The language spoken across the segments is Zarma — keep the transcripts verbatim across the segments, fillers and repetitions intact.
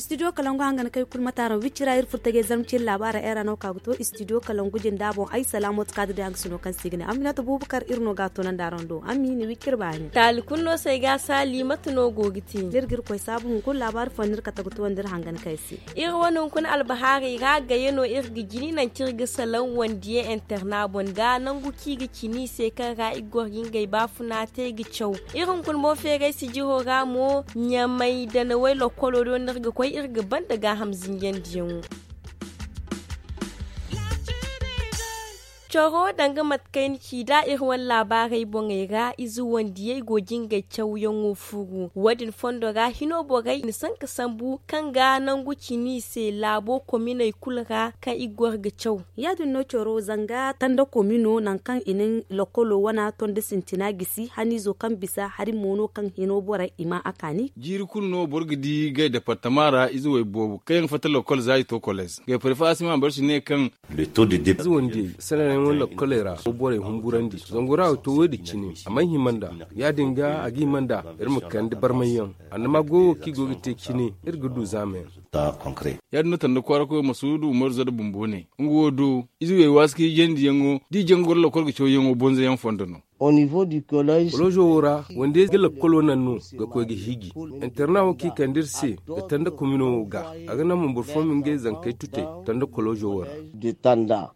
Studio kalangu hangan kay kulu mataaraŋ wicci ra iri furtajey zarma cine laabaara era no ka ga to studio kalangu jinda boŋ ay salaamoto kaadiriyaŋ ga sino kaŋ se i ga ne aminata buubakar iri no ga a toonandi araŋ do ammi ni wicci iri baani. Taali kulu no se ay ga a saali mate no go ga te? Ni iri ga iri koy saabu hunkuna laabaari fooyaŋ no iri kate ga toonandi iri hangan kay se. Iri wane hunkuna albahaarey ra gayey no iri ga jini nangu kaŋ iri ga salaŋ wandiya interna boŋ ga nangu kaŋ i ga cini i se kaŋ ra i ga goro ga ngey baafuna te ga caw. Iri hunkuna boŋ feeray sijiro ra mo ɲamay danawey lokkolo do no iri ga koy iri ga banda gaaham zinjandiyaŋo. Coro danga mate kaŋ ay na ci nd'a iri wane laabaarey boŋey ra ize wandiyey go ga ngey cawyaŋo furu wo- din fondo ra hino borey i na sanka sambu kaŋ ga nangu cini i se laabo kominey kulu ra kaŋ i ga goro ga caw. Ya- din no coro zanga tanda komino nangu kaŋ i na lokkolo wana tondi sintina gisi haniizo kaŋ bisa hari mo no kaŋ hino borey i ma a kaani. Jiiri kulu no boro ga di ngey departama ra ize way boobo kaŋ yaŋ fatta lokkol za i to koleez ngey prefa asima barsi ne kaŋ. Ize wandiyey sanayaŋo lokkoley ra borey humburandi zangu ra wo to wo- din cine a mana hima nd'a. Ya- din ga a ga hima nd'a iri ma kande barmayyaŋ annama goyo kaŋ i go ga te cine iri ga du zaamayaŋ. Ya- din no tanda kwaara koyo masuudu umaru zada bumbo ne nga wo do ize wey waasi ka hijandiyaŋo da i jaŋ ga goro lokol ga cawyaŋo bonzoyaŋ fondo no. Kolozo wo ra wande ga lakkolo naŋ no ga koy ga hiiji. Interna wo kaŋ i kande iri se ga tanda komino wo ga a ga naŋ mo boro fooyaŋ ma ngey zankey tutey tanda kolozo wo ra.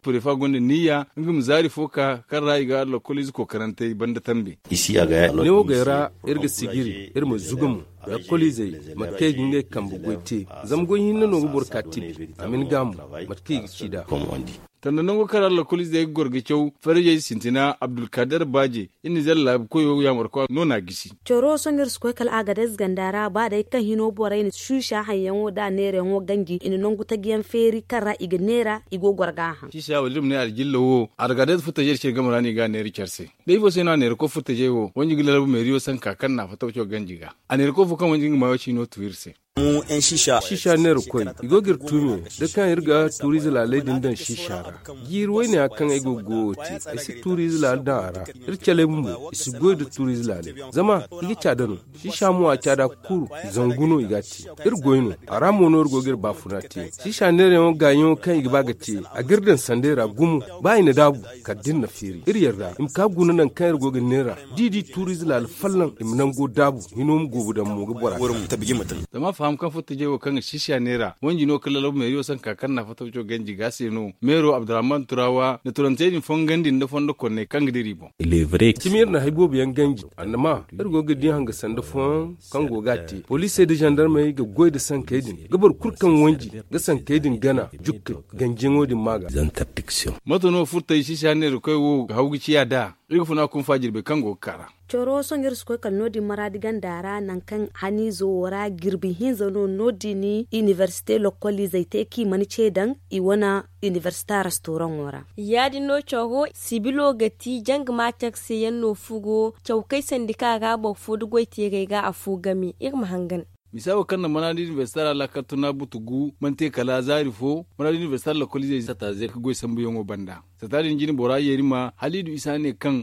Prefa gonda niyya nga ma zaari fo ka kaŋ ra i ga lakkol ize kookarantey banda tambe. Ne wo gay ra iri ga sijiri iri ma zuga mo. Lakkol izey mate kaŋ i ga ngey kambe goy te zama goy hinne no ga boro ka tibi a ma ni gaamu mate kaŋ i ga ci nd'a. Tanda nango kaŋ ra lakkol izey ga goro ga caw farajey sintina abdulkader baaje iri na zalla laabu koyo yaamarkwa no n'a gisi. Coro sohõ iri si koy kala agadez ganda ra ba day kaŋ hino borey na suusa haŋyaŋo nd'a neerayaŋo ganji i na nangu taji yaŋ feeri kaŋ ra i ga neera i go ga goro ga a haŋ. Siisa wala iri ma ne algilla wo agadez furtajey da care game ra no i ga a neera care se. Da ifo se no a neera koy furtajey wo wanji ga lalabu meeriyo sanka kaŋ na a fatta waco ganji ga. A neera koy fo kaŋ wanji nga maayo ciino tu iri se. Siisa neera koy i go ga iri tuumi da kaŋ iri ga tuuriize laaley din daŋ siisa ra. Jiiri wayne ya kaŋ ay go ga goyo te ay si tuuriize laale daŋ a ra. Iri caley bumbo i si goy nda tuuriize laaley zama i ga caada no. Siisa mo a caada kulu zangu no i ga a te. Iri goy no a ra mo no iri go ga iri baafuna te. Siisa neerayaŋo gaayaŋo kaŋ i ga ba ga te a ga iri daŋ sanday ra gumo. Ba i na daabu kala da iri na feeri iri yarda i ma ka guna nangu kaŋ iri go ga neera. Da i di tuuriize laale folloŋ i ma nango daabu hino ma goobu daŋ mo ga bora. Zama a faham kaŋ furtajey wo kaŋ ga sisiya neera wanji no kaŋ lalabu meeriyo sanka kaŋ na fatta waco ganji ga se no meero abdurrahman turawa na turantey din fongandi nda fondo konney kaŋ ga dira i boŋ. Cimi iri na hari boobo yaŋ ganji annama iri go ga di hanga sanda fooyaŋ kaŋ go ga a te poliisey nda zandarmey ga goy nda sankey din ga boro kulu kaŋ wanji ga sankey din gana jukka ganjiyaŋo din ma ga. Mate no furtay sisiya neera koy wo ga haw ga ciya nd'a? Iri ga funa kunfa jirbi kaŋ go ga kaa ra. Coro sohõ iri si koy kala no- din maraadi ganda ra nangu kaŋ haniizo wo ra jirbi hinza no no- din inibersite lokkoliizey te kaŋ i mana ce daŋ i wane inibersita restoraŋo ra. Ya- din no coro sibilo ga ti janga ma care se yaŋ no furo caw kay sandika ra boro fo nda goy teeray ra afo game iri ma hangan. Misa wo kaŋ na manaadi inibersita ra laakal tuna butu gu mana te kala zaari fo manaadi inibersita lokkoliizey sata ze ga goy sambuyaŋo banda. Sata din jine bora yeeri ma hala i du isa ne kaŋ.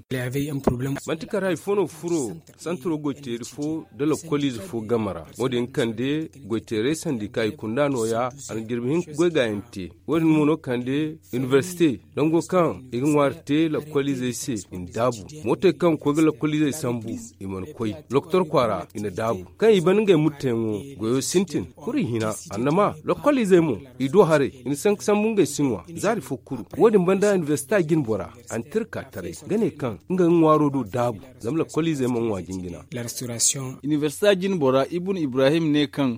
Manti kala hari fo no furo santiro goyteeri fo nda lokkoliize fo game ra wo- din kande goyteeray sandika i kunda nooya a na jirbi hinka goy gaayaŋ te. Wo- din mo no kande inibersite nango kaŋ i ga ŋwaari te lakkoliizey se i na daabu. Mootey kaŋ ga koy ga lakkoliizey sambu i mana koy lokotor kwaara i na daabu kaŋ i ban ngey murteyaŋo goyo sintin. Kuri hina annama lakkoliizey mo i do haray i na sanka sambu ngey si ŋwa zaari fo kuru. Wo- din banda inibersita jine bora a na tira ka taray ga ne kaŋ nga ga ŋwaaro do daabu zama lakkoliizey mana ŋwa jingina. Inibersita jine bora ibun ibrahim ne kaŋ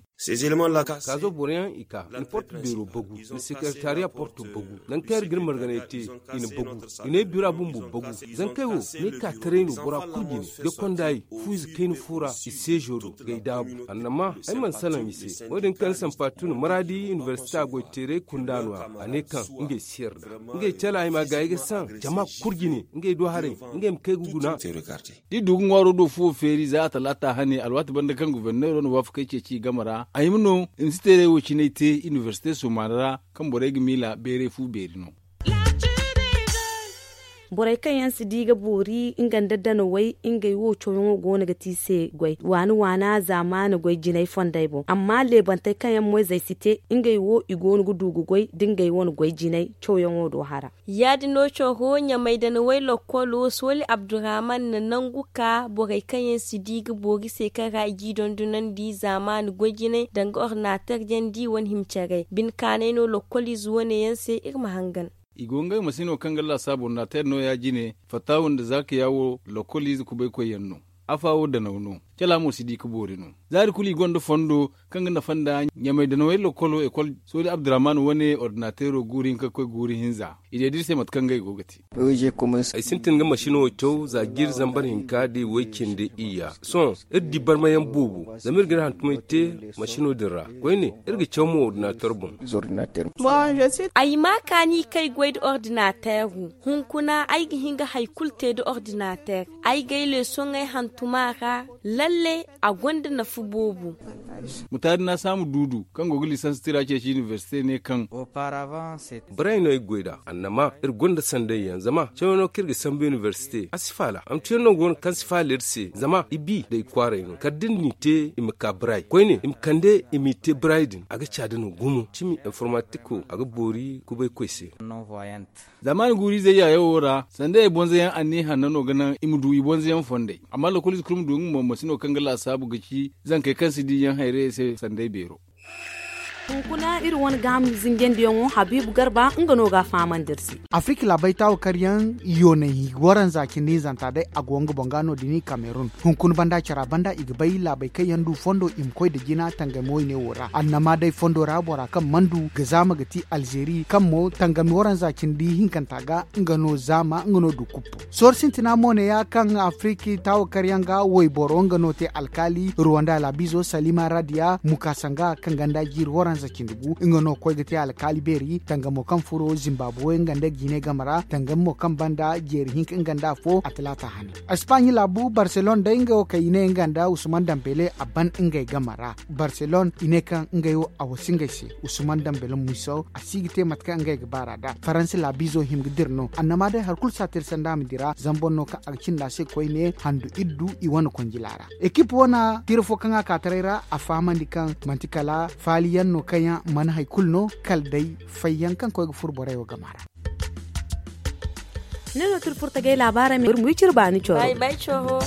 kaazo boroyaŋ i ka i na porto beero bagu i na sekeretariya porto bagu nangu kaŋ iri ga iri marganay te i na bagu i na ay bira bumbo bagu. Zankey wo ne ka taray no bora kulu jine ga kondaayey fu ize kayna fo ra i seezo do ga ay daabu annama ay mana salaŋ i se. Wo- din kaŋ sampa tun maraadi inibersita goyteeray kunda no- ya a ne kaŋ ngey si yarda ngey cala ay ma gaayi ga saŋ jama kulu jine ngey do haray ngey ma kay ga guna. Da i du ga ŋwaaro do fuwo feeri za a talaata hane alwaati banda kaŋ goforneero na waafakey ceeci i game ra a hima no i ma si teeray wo cinay te inibersite sumaana ra kaŋ borey ga miila beeray fu beeri no. Borey kaŋ yaŋ si di ga boori nga nda danawey, ngey wo cawyaŋo go no ga ti i se goy waani waana zaamaani goy jinay fondey boŋ. Amma leebantey kaŋ yaŋ moyzey si te, ngey wo i go no ga du ga goy da ngey wane goy jinay cawyaŋo do hara. Ya-din no cawho ɲamay danawey lokkolo sooli abdurrahman na nangu ka borey kaŋ yaŋ si di ga boori se kaŋ ra i g'i dondonandi zaamaani goy jinay danga ordinateer jandi wane hima care bine kaanay no lokkoliize wane yaŋ se iri ma hangan. I go ngey masino kaŋ ga laasaabu ordinateer no ya-jine fattahu nda zaaka yaawo lokkoliize kubaykoy yaŋ no. Afa wo danaw no. Cala mo si di ga boori no. Zaari kulu i gonda fondo kaŋ ga nafa nda ɲamay danawey lokkolo ekol sooli abdurrahman wane ordinateero guuru hinka ga koy guuru hinza. I ne da iri se mate kaŋ ngey go ga te. Ay sintin ga masino caw za jiiri zambar hinka da i way cindi iyya. Sohõ iri di barmayaŋ boobo zama iri ga iri hantumey te masino din ra. Koyne iri ga caw mo ordinateer boŋ. Ay ma kaani kaŋ ay goy nda ordinateero. Hunkuna ay ga hin ga hari kulu te nda ordinateer. Ay ga ay leesoŋey hantum a ra. Lalle a gonda nafa boobo. Mutaari na saamu duudu kaŋ go ga lisans tira ceeci inibersite ne kaŋ. Baray no ay ga goy nd'a annama iri gonda sanday yaŋ zama cawyaŋo kaŋ iri ga sambu inibersite a si faala hantuyaŋ no go no kaŋ si faala iri se zama i bi nda i kwaaray no kala da ni n'i te i ma ka baray koyne i ma kande i m'i te baray din a ga caada no gumo cimi informatiko a ga boori kubaykoy se. Zaamaani guuru-izey yaayawo ra sanday ay bonzayaŋ anniya hanno no ga naŋ i ma du i bonzayaŋ fondey. Amma lokoliize kulu ma du nga mo masino kaŋ ga laasaabu ga ci zankey kaŋ si di yaŋ hayrayey se sanday beero. Hunkuna iri wane gaaham zinjandiyaŋo habiibu garba nga no ga a fahamandi iri se. Afirika laabey taawa karyaŋ yoonay hinka waranza cindi hinzanta day a go nga boŋ ga no- din i kamerun. Hunkuna banda cara banda i ga bay laabey kaŋ yaŋ du fondo i ma koy nda jina tangami wayne wo ra annama day fondo ra bora kaŋ mana du ga zaama ga ti alzeeri kaŋ mo tangami waranza cindi hinkanta ga nga no zaama nga no du kuppu. Sohõ sintina mo ne ya kaŋ afiriki taawakaryaŋ ga wayboro nga no te alkaali ruwanda laabizo salima radiya mukasanga kaŋ ganda jiiri waranza cindi gu nga no koy ga te alkaali beeri tangamo kaŋ furo zimbabuwe nga nda gine game ra tangami mo kaŋ banda jeeri hinka nga nda afo a talaata hane. Espagne laabu barcelone day nga wo kaŋ i ne nga nda usman dambele a ban ngey game ra. Barcelone i ne kaŋ ngey wo a wasi ngey se. Usman dambele miso a si ga te mate kaŋ ngey ga baar'a nd'a faransa laabiizo hima ga dira no annama day hari kulu si a te iri sanda a ma dira zama boro no kaŋ a ga cinda a se koyne handu iddu i wane konjila ra. Ekip wane tira fo kaŋ a ka taray ra a fahamandi kaŋ manti kala faaliyaŋ no kaŋ yaŋ mana hari kulu no kala day fayyaŋ kaŋ koy ga furo borey wo game ra. Ne no tira furtagay laabaarey ma iri ma wi cire baani coro.